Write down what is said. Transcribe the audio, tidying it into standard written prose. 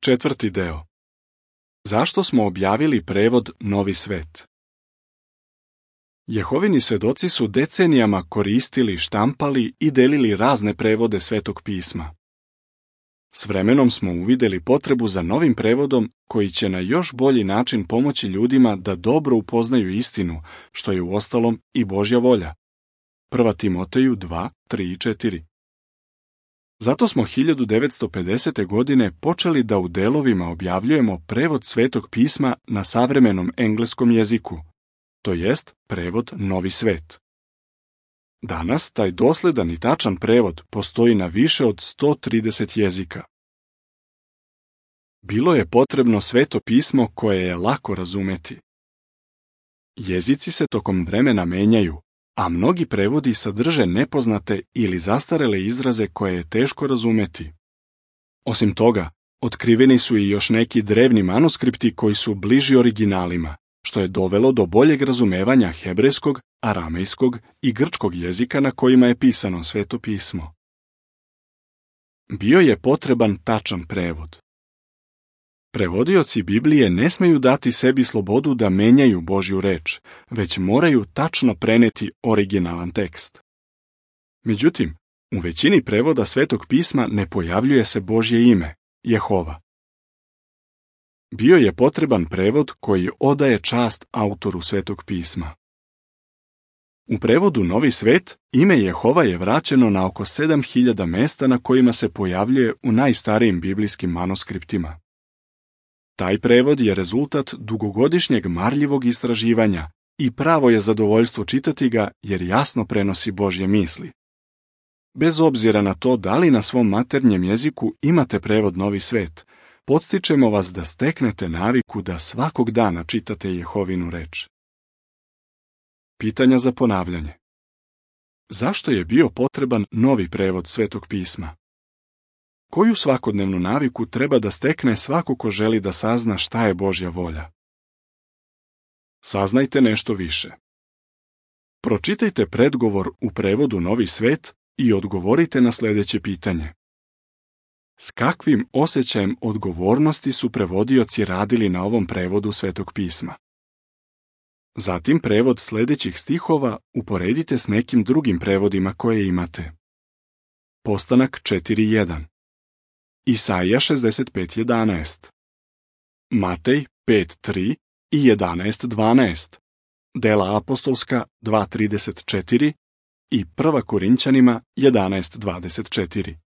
Četvrti deo. Zašto smo objavili prevod Novi svet? Jehovini svedoci su decenijama koristili, štampali i delili razne prevode Svetog pisma. S vremenom smo uvideli potrebu za novim prevodom koji će na još bolji način pomoći ljudima da dobro upoznaju istinu, što je uostalom i Božja volja. 1. Timoteju 2, 3 i 4. Zato smo 1950. godine počeli da u delovima objavljujemo prevod Svetog pisma na savremenom engleskom jeziku, to jest prevod Novi svet. Danas taj dosledan i tačan prevod postoji na više od 130 jezika. Bilo je potrebno Sveto pismo koje je lako razumeti. Jezici se tokom vremena menjaju, a mnogi prevodi sadrže nepoznate ili zastarele izraze koje je teško razumeti. Osim toga, otkriveni su i još neki drevni manuskripti koji su bliži originalima, što je dovelo do boljeg razumevanja hebrejskog, aramejskog i grčkog jezika na kojima je pisano Sveto pismo. Bio je potreban tačan prevod. Prevodioci Biblije ne smeju dati sebi slobodu da menjaju Božju reč, već moraju tačno preneti originalan tekst. Međutim, u većini prevoda Svetog pisma ne pojavljuje se Božje ime, Jehova. Bio je potreban prevod koji odaje čast autoru Svetog pisma. U prevodu Novi svet ime Jehova je vraćeno na oko 7000 mesta na kojima se pojavljuje u najstarijim biblijskim manuskriptima. Taj prevod je rezultat dugogodišnjeg marljivog istraživanja i pravo je zadovoljstvo čitati ga jer jasno prenosi Božje misli. Bez obzira na to da li na svom maternjem jeziku imate prevod Novi svet, podstičemo vas da steknete naviku da svakog dana čitate Jehovinu reč. Pitanja za ponavljanje. Zašto je bio potreban novi prevod Svetog pisma? Koju svakodnevnu naviku treba da stekne svako ko želi da sazna šta je Božja volja? Saznajte nešto više. Pročitajte predgovor u prevodu Novi svet i odgovorite na sljedeće pitanje. S kakvim osjećajem odgovornosti su prevodioci radili na ovom prevodu Svetog pisma? Zatim prevod sljedećih stihova uporedite s nekim drugim prevodima koje imate. Postanak 4.1. Isaija 65.11. Matej 5.3 i 11.12. Dela apostolska 2.34 i 1. Korinćanima 11.24.